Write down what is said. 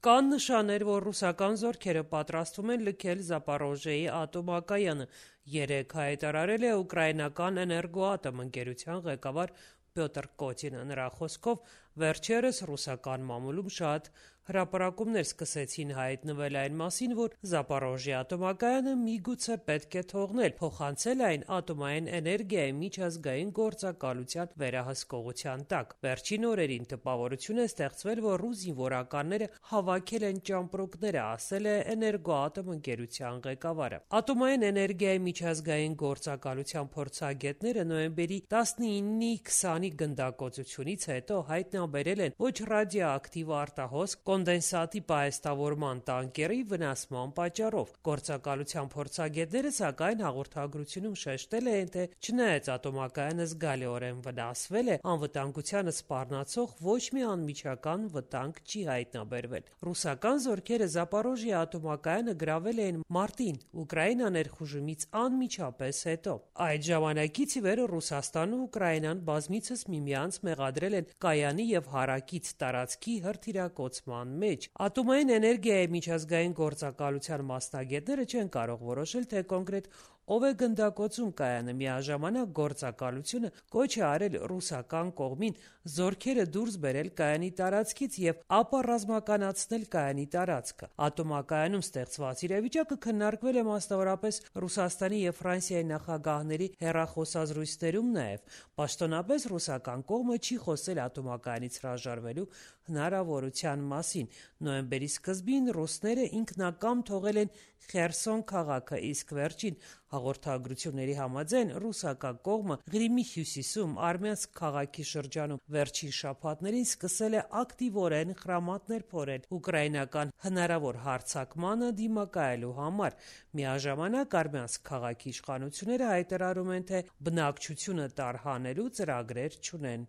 Կան նշաններ, որ ռուսական զորքերը պատրաստվում են լքել Զապորոժիեի ատոմակայանը, երեկ հայտարարել է ուկրաինական էներգոատոմ ընկերության ղեկավար Պյոտր Կոտինը: Նրա խոսքով, վերջերս ռուսական մամուլում շատ հրապարակումներ սկսեցին հայտնվել այն մասին, որ Զապորոժիե ատոմակայանը միգուցե պետք է թողնել, փոխանցել այն ատոմային էներգիայի միջազգային գործակալության վերահսկողության տակ: Վերջին օրերին տպավորություն է ստեղծվել, որ ռուս զինվորականները հավաքել են ճամպրուկները, ասել է էներգոատոմ ընկերության ղեկավարը: Ատոմային էներգիայի միջազգային գործակալության փորձագետները նոյեմբերի 19-ի 20-ի գնդակոծությունից հետո հայտնաբերել են ոչ ռադիոակտիվ արտահոսք կոնդենսատի պահեստավորման տանկերի վնասման պատճառով: Գործակալության փորձագետները, սակայն, հաղորդագրությունում շեշտել են, թե չնայած ատոմակայանը զգալիորեն վնասվել է, անվտանգությանը սպառնացող ոչ մի անմիջական վտանգ չի հայտնաբերվել: Ռուսական զորքերը Զապորոժիե ատոմակայանը գրավել էին մարտին Ուկրաինա ներխուժումից անմիջապես հետո: Այդ ժամանակից ի վեր Ռուսաստանն ու Ուկրաինան բազմիցս միմյանց մեղադրել են կայանի և հարակից տարածքի հրթիռակոծման մեջ: Ատոմային էներգիայի միջազգային գործակալության մասնագետները չեն կարող որոշել, թե կոնկրետ ով է գնդակոծում կայանը: Միաժամանակ գործակալությունը կոչ է արել ռուսական կողմին զորքերը դուրս բերել կայանի տարածքից և ապառազմականացնել կայանի տարածքը: Ատոմակայանում ստեղծված իրավիճակը քննարկվել է մասնավորապես Ռուսաստանի և Ֆրանսիայի նախագահների հեռախոսազրույցներում նաև: Պաշտոնապես ռուսական կողմը չի խոսել ատոմակայանից հրաժարվելու հնարավորության մասին: Նոյեմբերի սկզբին ռուսները ինքնակամ թողել են Խերսոն քաղաքը, իսկ վերջին հաղորդագրությունների համաձայն, ռուսական կողմը Ղրիմի հյուսիսում Արմյանսկ քաղաքի շրջանում վերջին շաբաթներին սկսել է ակտիվորեն խրամատներ փորել ուկրաինական հնարավոր հարձակմանը դիմակայելու համար: Միաժամանակ Արմյանսկ քաղաքի իշխանությունները հայտարարում են, թե բնակչությունը տարհանելու ծրագրեր չունեն: